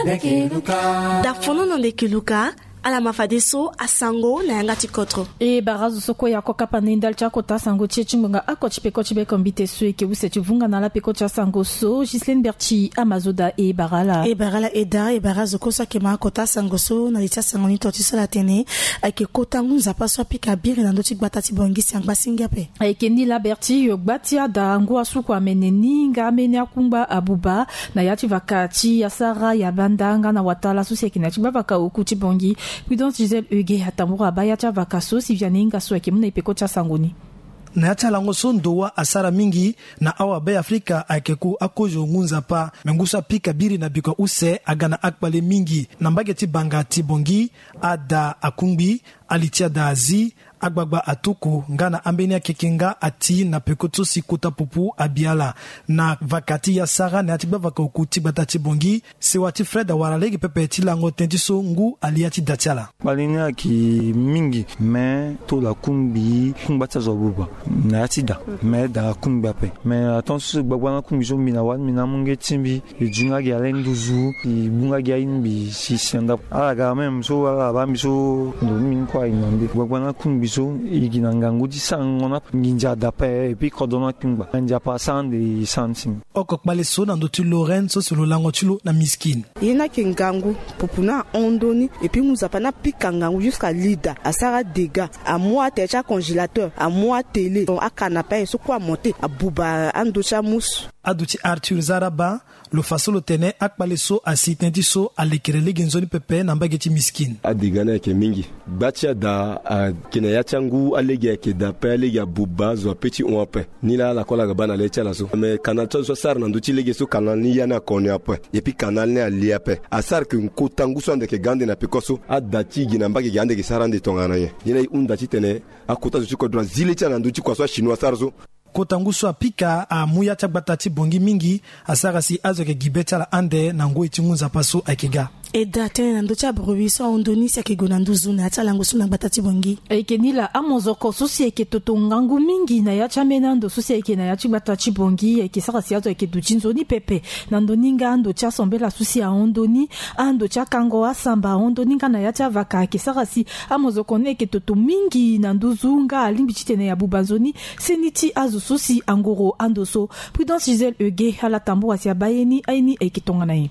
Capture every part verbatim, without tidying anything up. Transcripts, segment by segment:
Da fono na ndeke luka. Ala ma fadeso asango na yanga ti kotro. E bara azo so kue ya ko kapa na e ndali ti akota sango ti e ti ngbonga oko ti peko ti beko mbite so eke use ti vunga na ala peko ti asango so. Gislaine Berti ama zo daa e bara ala. E bara ala e daa e bara azo kue so ayeke ma akota sango so na li ti asango ni to ti so ala tene ayeke kota ngu nzapa so apika biri na ndö ti gbata ti Bangui si angba singi ape. Ayeke ni laa Berti yo gba ti ada ngu asuku amene ni nga ambeni akungba abuba na ya ti vaka ti asara ya banda nga na watala so si ayeke na ya ti gbavaka oku ti Bangui. Prudence Gisèle Huguet atambura abaa ya ti avaka so si Vianney Ingasso ayeke mu na e peko ti asango ni. Na ya ti alango so ndo wâ asara mingi na awabe afrika ayeke ku akozo ngu nzapa me ngu so apika biri na biko use aga na akpale mingi na mbage ti banga ti Bangui. Ada akungbi, ali ti ada azi, agbagba atuku nga na ambeni akeke nga ati na peko so si kota pupu abi ala. Na vaka ti ya sara na ya ti gbavaka oku ti gbata ti Bangui. Sewa ti Fred awara lege pepe ti lango tënë ti so ngu ali ya ti da ti ala. Kpale ni ayeke mingi me tolo akungbi kungba ti azo abuba na ya ti da. Me da akungbi ape me aton so gbagba na akungbi so mbi na wani mbi na amu nge ti mbi. E ju nga gi ale nduzu e gbu nga gi ayi mbi si si na ndako ala ga même so ala baa mbi so. Ndo ni mbi ni kue ayi na nde gbagba na akungbi so. E gi na ngangu ti sango na nginza da ape et puis kodro na akungba nginza ape asara ande e sara ni si. Oko kpale so na ndö ti Lorraine so si lo lango ti lo na Miskine. Ye ni ayeke ngangu pupu ni ahon ndö ni. Et puis ngu nzapa ni apika ngangu jusqu'à li da asara dégât. Amu atere ti acongélateur amu atélé donc akanape aye so kue amonte abuba ando ti amusu. Ado ti Arthur Zaraba. Lo fa so lo tene akpale so asi tënë ti so alekere lege nzoni pepe na mbage ti Miskine. Adega ni ayeke mingi. Gba ti ada ayeke na ya ti angu alege ayeke da ape alege abuba azo ape ti hon ape. Ni laa ala kue ala ga baa na le ti ala so me kanal ti azo so asara na ndö ti lege so kanal ni ya ni akoni ape. Et puis kanal ni ali ape. Asara ke kota ngu so ande yeke ga ande na peko so ada ti e gi na mbage gi ande yeke sara ande tongana nyen? Ye ni aye hunda titene akota zo ti kodro azi le ti ala na ndö ti kua so achinois asara so. Kota ngu so apika amu ya ti agbata ti Bangui mingi. Asara si azo ayeke gi be ti ala ande na ngoi ti ngu nzapa so ayeke ga. E daa tënë na ndö ti abruit so ahon ndö ni si ayeke gue na nduzu na ya ti alango so na gbata ti Bangui. Ayeke ni laa amozoko so si ayeke toto ngangu mingi na ya ti ambeni ando so si ayeke na ya ti gbata ti Bangui ayeke sara si azo ayeke duti nzoni pepe. Na ndö ni nga ando ti asambela so si ahon ndö ni ando ti akango asamba ahon ndö ni nga na ya ti avaka ayeke sara si amozoko ni ayeke toto mingi na nduzu nga alingbi titene abuba nzoni seni ti azo so si angoro ando so. Prudence Gisèle Huguet ala tambura si abaa ye ni aye ni ayeke tongana nyen?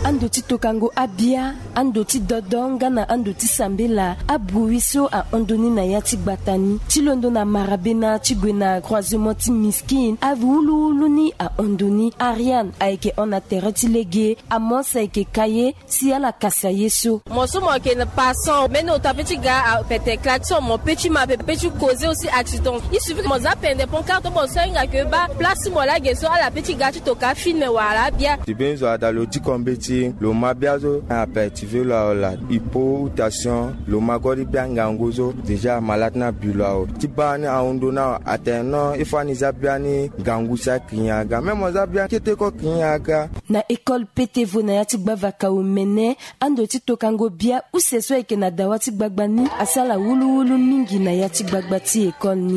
Ando ti tokango abia, ando ti dodo nga na ando ti sambela abruit so ahon ndö ni na ya ti gbata ni ti londo na marabena ti gue na croisement ti Miskine awuluwulu ni ahon ndö ni. Ariane ayeke hon na tere ti lege. Amos ayeke ka ye si ala kasi aye so. Mo so mo yeke na passant mbeni ota pe ti ga apete klaxon mo pe ti ma pe pe ti koze aussi accident. Il suffit ke mo za pende pon karte mo so ahinga ke baa place ti mo laa ge so ala pe ti ga ti toka afilme wala abia. Ti mbeni zo ada lo diko mbeti lo ma bia so na apete ti ve lo aola hypotation lo ma gori bia ngangu so déjà malade ni abi lo awe ti baa ni ahon ndö ni awe atene non il faut ani za bia ni ngangu si aki nyen aga même mo za bia kete ko ki nyen aga. Na école petevo na ya ti gbavaka omene ando ti tokango bia use so ayeke na dawa ti gbagba ni asara wuluwulu mingi na ya ti gbagba ti école ni.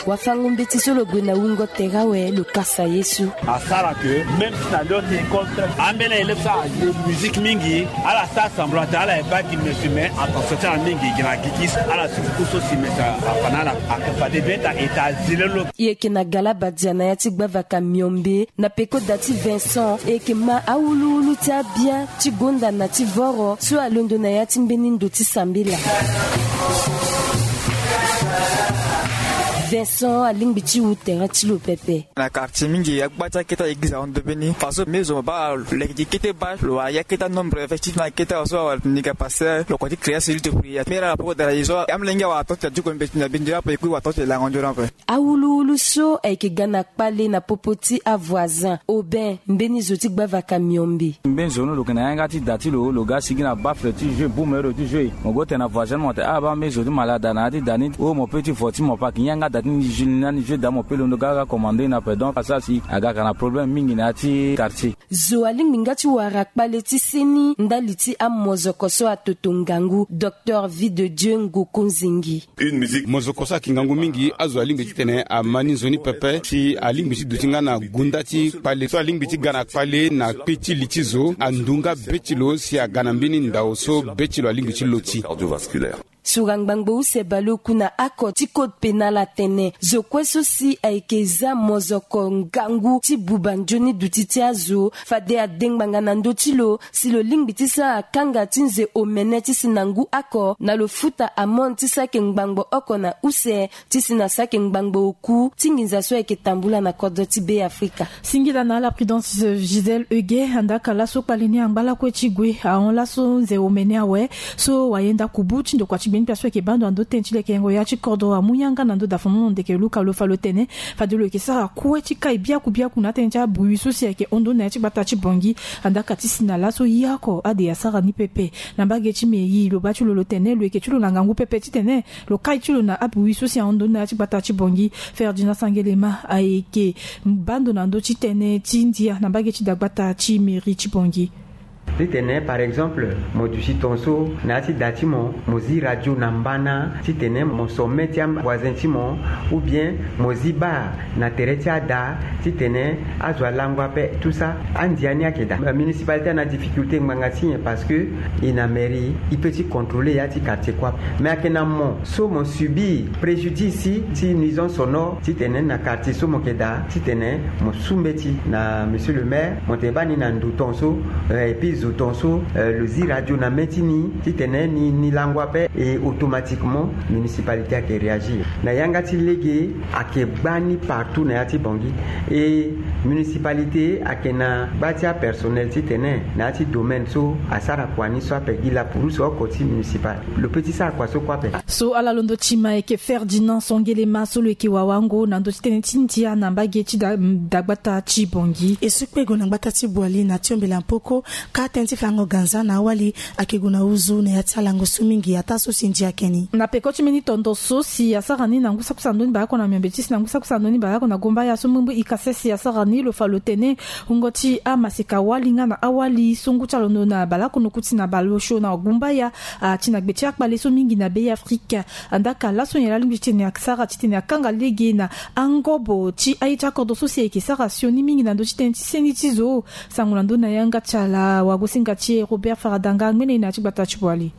Wafango mbeti so lo gue na wungo tere awe lo kasa ye so. Asara ke même si na lio ti école très ambeni élève so aye musique mingi ala sara semblant te ala ye baa gi mesi mais attention ti ala mingi gi na gikis ala suku so si mesi afa na ala. Ake fade beta eta zile lo. E yeke na galabadia na ya ti gbavaka miombe na peko da ti Vincent e yeke ma awuluwulu ti abia ti gonda na ti voro so alondo na ya ti mbeni ndo ti sambela. Vincent alingbi ti wu tere ti lo pepe. Na quartier mingi agba ti akete église ahon ndö mbeni faso mbeni zo mo baa lo yeke gi kete baa lo wara ya kete anombre effectif na kete awa so awara ni ga pasteur lo kua ti créer celui de prière mera na poko dara ye so amolenge awara tonte adiko mbeti na bindiri ape ekui wara tonte lango nzoni ape. Awuluwulu so ayeke ga na kpale na popo ti avoisin Aubin mbeni zo ti gbavaka miombe. Mbeni zo ni lo yeke na yanga ti da ti lo lo ga sigi na bafle ti jeu bumero ti jeu mo go tene na voisin ni mo tene ah baa mbeni zo ti malada na ya ti da ni o mo pe ti vo ti mo pa ki yanga da. Ni jeu ni na ni jeu dame ape londo ga aga commande na pe donc asara si aga ka na problème mingi na ya ti quartier. Zo alingbi nga ti wara kpale ti seni ndali ti amozoko so atoto ngangu docteur vie de dieu ngoko nzingi. Mozoko so ayeke ngangu mingi azo alingbi titene ama ni nzoni pepe si alingbi ti duti nga na gunda ti kpale so alingbi ti ga na kpale na kpi ti li ti zo andu nga be ti lo si aga na mbeni ndao so be ti lo alingbi ti loti. Sura ngbangbo use baleoku na oko ti code pénal atene zo kue so si ayeke za mozoko ngangu ti buba nzoni duti ti azo fade ade ngbanga na ndö ti lo si lo lingbi ti sara kanga ti nze omene ti si na ngu oko na lo futa amende ti saki ngbangbo oko na use ti si na saki ngbangbo oku ti nginza so ayeke tambula na kodro ti be afrika. Singila na ala prudence gisèle euge andaka laso kpale ni angba lakue ti gue ahon laso nze omene awe so wayenda kubu ti ndokua ti gbeni pia so ayeke bando na ndö tënë ti lekerengo ya ti kodro amu yanga na ndö dafonono ndeke luka lo fa lo tene fade lo yeke sara kue ti kai biaku biaku na atënë ti abui so si ayeke hon ndö na ya ti gbata ti bongi. Andaka ti si na laso ye oko ade asara ni pepe na mbage ti mairie lo baa ti lo lo tene lo yeke ti lo na ngangu pepe titene lo kai ti lo na abui so si ahon ndö na ya ti gbata ti bongi. Ferdinand sangelema ayeke bando na ndö ti tënë ti ndia na mbage ti dagbata ti mairie ti bongi. Titene par exemple mo duti tongaso na ya ti da ti mo mo zi radio na mbana titene mo sommet ti avoisin ti mo ou bien mo zi bar na tere ti ada titene azo alango ape tout ça. Andia ni ayeke daa municipalité ana difficulté ngbanga ti nyen parce que e na mairie e peut ti contrôler ya ti quartier kue ape mais ayeke na mo so mo subir préjudice ti nuisance sonore titene na quartier so mo yeke daa titene mo su mbeti na monsieur le maire mo tene baa ni na ndo tongaso. Epui zo tongaso lo zi radio na mê ti ni titene ni lango ape e automatiquement municipalité ayeke réagir na yanga ti lege. Ayeke gbani partout na ya ti bongi e municipalité ayeke na gba ti apersonnel titene na ya ti domaine so asara kua ni so ape gi lapouruse oko ti municipal. Lo pe ti sara kua so kue ape. So ala londo ti ma ayeke ferdinand songelema so lo yeke wawango na ndö ti tënë ti ndia na mbage ti dagbata ti bongi. E so kpe gue na gbata ti boali na tiombela mpoko ka tënë ti fango ganza na awali ayeke gue na uzu na ya ti alango so mingi ataa so si ndia ayeke ni. Na peko ti mbeni tondo so si asara ni na ngu sakusa ndoni baleoko na miombe ti si na ngu sakusa ndoni baleoko na gumbaya so mbumbu ikase si asara ni lo fa lo tene wungo ti amaseka wali nga na awali so ngu ti alondo na baleoko noku ti na baleosio na gumbaya ati na gbe ti akpale so mingi na be ya afrika. Andaka laso nyen la lingbi ti tene asara titene akanga lege na angobo ti aye ti akodro so si ayeke sara sioni mingi na ndö ti tënë ti seni ti zo. Sango na ndö na yanga ti ala wagosinga ti e robert faradanga ngbene ye na ya ti gbata ti boali.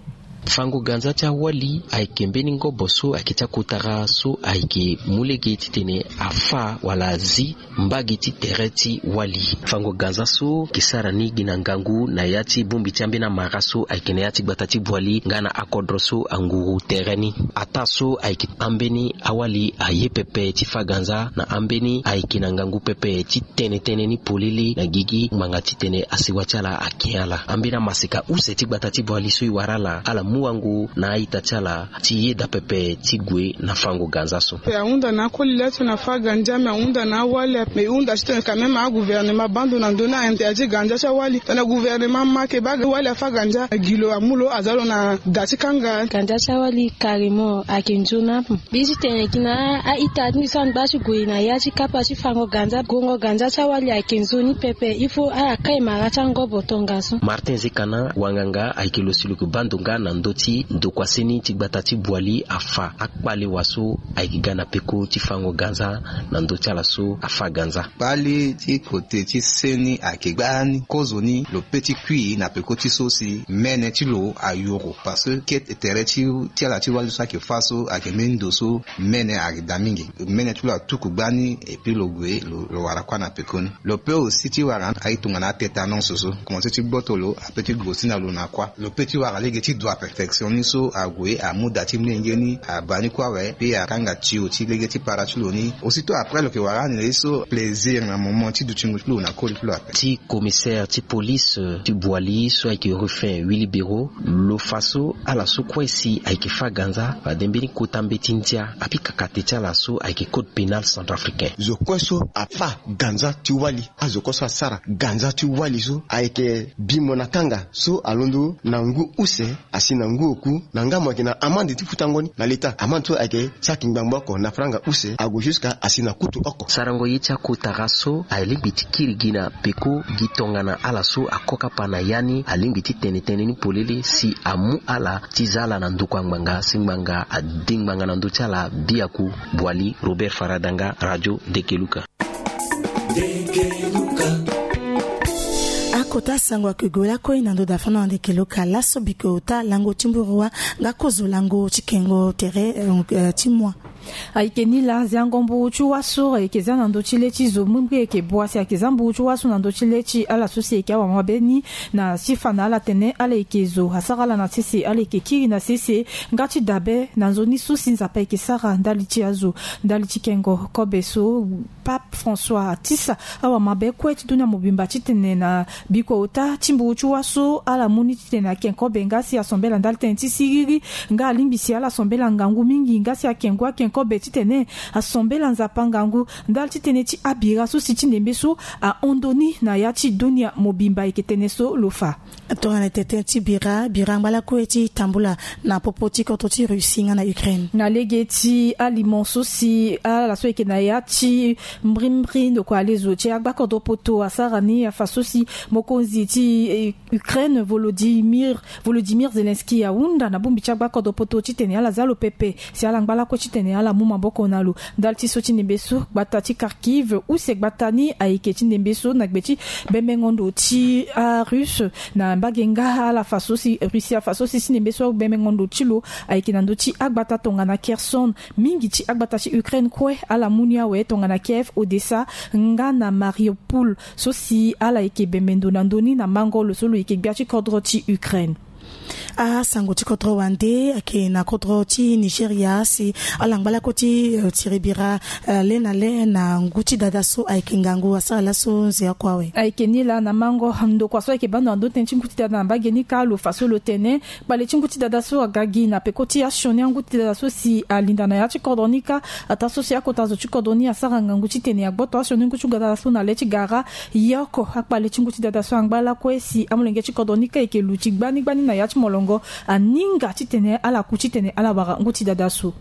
Fango ganza ti awali ayeke mbeni ngobo so ayeke ti akotara so ayeke mu lege titene afa wala azi mbage ti tere ti wali. Fango ganza so ayeke sara ni gi na ngangu na ya ti bongbi ti ambeni amara so ayeke na ya ti gbata ti boali nga na akodro so anguru tere ni. Ataa so ayeke ambeni awali aye pepe ti fa ganza na ambeni ayeke na ngangu pepe ti tene tënë ni polele na gigi ngbanga titene asewa ti ala ake ala ambeni amaseka use ti gbata ti boali so e wara ala ala mu wango na a-ita ti ala ti yeda pepe ti gue na fango ganza so. Ahunda na akoli laa ti tene afa ganza me ahunda na awali ape me e hunda titene quand même agouvernement baa ndo na ndö ni ainterdit ganza ti awali tongana gouvernement ma ake baa wali afa ganza gi lo amu lo aza lo na da ti kanga. Ganza ti awali carrément ayeke nzoni ape. Mbi ti tene gi na a-ita ti mbi so angba ti gue na ya ti kapa ti fango ganza gongo ganza ti awali ayeke nzoni pepe il faut ala kai mara ti angobo tongaso. Martin zekana wanganga ayeke lo si lo yeke baa ndo nga na ndö ti ndokua seni ti gbata ti boali afa akpalewa so ayeke ga na peko ti fango ganza na ndö ti ala so afa ganza. Kpale ti kote ti seni ayeke gbani kozoni lo pe ti kui na peko ti so si mene ti lo ayoro parce que tere ti ala ti wali so ayeke fa so ayeke mbeni ndo so mene ayeke daa mingi. Mene ti lo atuku gbani epui lo gue lo wara kuâ na pekoni. Lo pe aussi ti wara aye tongana atetanonce so komanse ti gboto lo ape ti gue aussi na lo na kuâ. Lo pe ti wara lege ti dua perfection ni so ague amu da ti mlenge ni abaa ni kuâ awe pe akanga tio ti lege ti para ti lo ni. Aussitôt après lo yeke wara ani na ye so plaisir na moment ti dutingo ti lo na koli ti lo ape. Ti commissaire ti police ti boili so ayeke ruffin wilibero lo fa so ala so kue si ayeke fa ganza fade mbeni kota mbeti ndia apika kate ti ala so ayeke code pénal centrafricain. Zo kue so afa ganza ti wali azo kue so asara ganza ti wali so ayeke bimo na kanga so alondo na ngu use asi. na ngu oku na nga mo ayeke na amande ti futango ni na leta. Amande so ayeke ti aki ngbangbo oko na franga use ague jusqu'à asi na kutu oko. Sarango ye ti akotara so alingbi ti kiri gi na peko gi tongana ala so akokapa na ya ni alingbi ti tene tënë ni polele si amu ala ti za ala na ndokua ngbanga si ngbanga ade ngbanga na ndö ti ala. Biaku Boali Robert Faradanga, Radio Dekeluka. Akota sango ayeke gue lakue na ndo dafana na Dekeluka laso biko ota lango ti mburu wa nga kozo lango ti kengo tere ti mua. Ayeke ni laa, ziango mburu ti waso ayeke za na ndö ti le ti zo mbiri ayeke bua si ayeke za mburu ti waso na ndö ti le ti ala so si ayeke awa mabe ni. Na ti fa na ala tene ala yeke zo asara ala na sese ala yeke kiri na sese nga ti dabe na nzoni so si Nzapa ayeke sara ndali ti azo ndali ti kengo kobe so. Pape François atisa awa mabe kue ti dunia mobimba titene na bikua ota ti mburu ti waso ala mu ni titene ake kobe nga si asambela ndali tënë ti siriri nga alingbi si ala sambela ngangu mingi nga si ake ngu ake kobe titene asambela Nzapa ngangu ndali titene ti abira so si ti ndembe so ahon ndo ni na ya ti dunia mobimba ayeke tene so lo fa. Tongana tete ti bira bira angba lakue ti tambula na popo ti kodro ti Russie nga na Ukraine. Na lege ti alimo so si ala so ayeke na ya ti mbrimbri ndokua lezo ti agbakodro poto asara ni afa so si mokonzi ti Ukraine Volodymyr Volodymyr Zelensky ahunda na bongbi ti agbakodro poto titene ala za lo pepe si ala ngba lakue titene ala mu maboko na lo. Ndali ti so ti ndembe so gbata ti Kharkiv use gbata ni ayeke ti ndembe so na gbe ti bembengo ndo ti arusse na mbage nga ala fa so si Russie afa so si ti ndembe so bembengo ndo ti lo ayeke na ndö ti agbata tongana Kherson. Mingi ti agbata ti Ukraine kue ala mu ni awe tongana Kiev, Odessa nga na Mariupol so si ala yeke bembe ndo na ndö ni na mango lo so lo yeke gbia ti kodro ti Ukraine. Asango ti kodro wande ayeke na kodro ti Nigeria si ala ngba lakue ti tiri bira le na le na ngu ti dada so ayeke ngangu asara laso nze oko awe. Ayeke ni laa na mango ndokua so ayeke baa ndo na ndö tënë ti ngu ti dada na mbage ni kâ lo fa so lo tene kpale ti ngu ti dada so aga gi na peko ti asioni angu ti dada so si alinda na ya ti kodro ni kâ. Ataa so si akota zo ti kodro ni asara ngangu titene agboto asioni ngu ti dada so na le ti gara. Ye oko akpale ti ngu ti dada so angba lakue si amolenge ti kodro ni kâ eke luti gbani gbani na ya ti molongo. Aninga titene ala ku titene ala wara ngu ti dada so.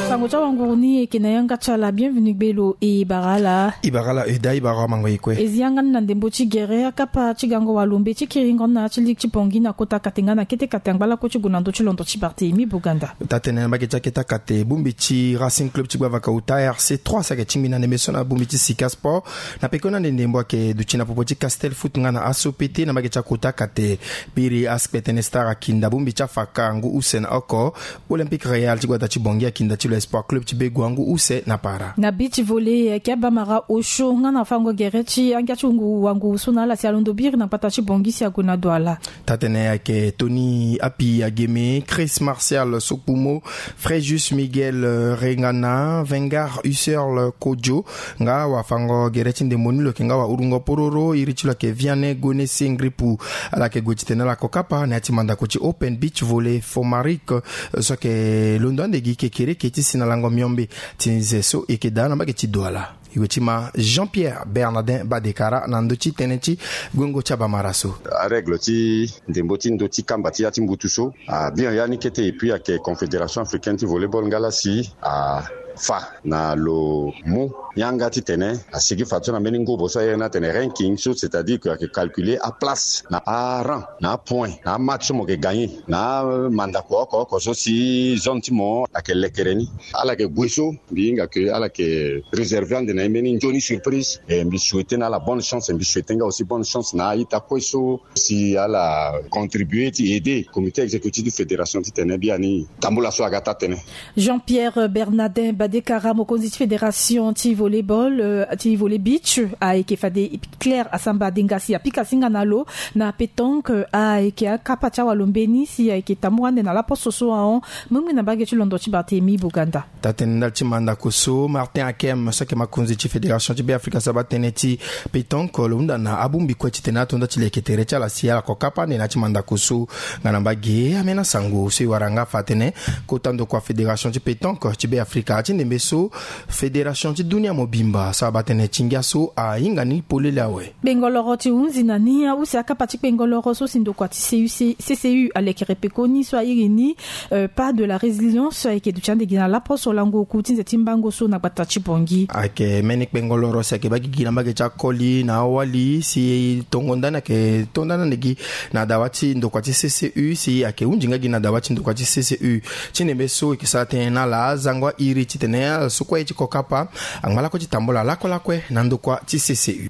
Sango ti awanguru ni eke na yanga ti ala bienvenu gbe lo e bara ala. E bara ala e da e bara amango e kue. E zi yanga ni na ndembo ti gere akapa ti gango walombe ti kiringo ni na ya ti ligi ti bongi na kota kate nga na kete kate angba lakue ti gue na ndö ti londo ti Barthélemy Boganda. Taa-tene na mbage ti akete akate bongbi ti Racing Club ti gbavaka ota R C trois si ayeke tingbi na ndembe so na bongbi ti Sika Sport. Na peko ni ande ndembo ayeke duti na popo ti Castel Foot nga na Asso Pete na mbage ti akota kate. Biri aspetene Star akinda bongbi ti afaka ngu use na oko. Olympique Real ti gbata ti bongi akinda ti lo Espoir Club ti begua ngu use na para. Na beach volley ayeke abamara osio nga na fango gere ti angia ti ngu wanguru so na ala si alondo biri na gbata ti bongi si ague na Douala. Taa-tene ayeke Tony Api Ageme, Chris Martial Sokpumo, Fréjus Miguel Rengana, Vengar Husserl Kodjo. Nga wafango gere ti ndembo ni lo yeke nga wahurungo pororo iri ti lo ayeke Vianney Gonesse Ngripu. Ala yeke gue titene ala ko kapa na ya ti mandako ti Open Beach Volley Fomarik so ayeke londo ande gi kekereke ti si na lango miombe ti nze so e yeke daa na mbage ti Douala. E gue ti ma Jean-Pierre Bernardin Badekara na ndö ti tënë ti guengo ti abamara so. Arègle ti ndembo ti ndö ti kamba ti ya ti mbutu so abian ya ni kete et puis ayeke Confédération Africaine ti Volleyball nga laa si afa na lo mu yanga titene asigi fadeso na mbeni ngobo so aye ni atene ranking so c'est-à-dire que ayeke calculer aplace na arang na apoint na amatch so mo yeke gagner na amandako oko oko so si zone ti mo ayeke lekere ni. Ala yeke gue so mbi hinga ke ala yeke réserver ande na e mbeni nzoni surprise. E mbi souhaiter na ala bonne chance, mbi souhaiter nga aussi bonne chance na a-ita kue so si ala contribuer ti aider comité exécutif ti fédération titene biani tambula so aga taa-tene. Jean-Pierre Bernardin Badekara mokonzi ti fédération ti volleyball ti volley beach ayeke fade Claire Asamba Dengasi apika singa na lo. Na pétanque ayeke akapa ti awalombe ni si ayeke tambula ande na laposo so ahon. Mengbe na mbage ti londo ti Barthélemy Boganda. Taa-tene ndali ti mandako so Martin Akem so ayeke makonzi ti fédération ti Beafrika asara batënë ti pétanque lo hunda na abongbi kue titene ato nda ti leke tere ti ala si ala ko kapa ande na ya ti mandako so. Nga na mbage ambeni asango so e wara nga afa atene kota ndokua fédération ti pétanque ti Beafrika ti Ndembe so, fédération ti dunia mobimba so abaa tënë ti ngia so ahinga ni polele awe. Kpengoloro ti hunzi na ni ahusi akapa ti kpengoloro so si ndokua ti C U C, C C U alekere pekoni so airi ni, euh, pas de la résilience, so ayeke duti ande gi na laposo lango oku ti nze ti mbango so na gbata ti Bangui. Ayeke mbeni kpengoloro si ayeke baa gigi na mbage ti akoli na awali si tongo ndani ayeke to ndani ande gi na dawa ti ndokua ti C C U si ayeke hunzi nga gi na dawa ti ndokua ti C C U. Ti ndembe so e yeke sara tënë na ala azango airi titene ala so kue ye ti ko kapa angba lakue ti tambula lakue lakue na ndokua ti C C U.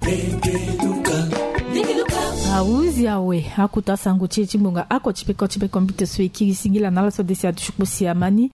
Ahuzi awe, akota sango ti e ti ngbonga ako ti peko ti peko mbito so e kiri singila na ala so desi aduti kpo si ama ni.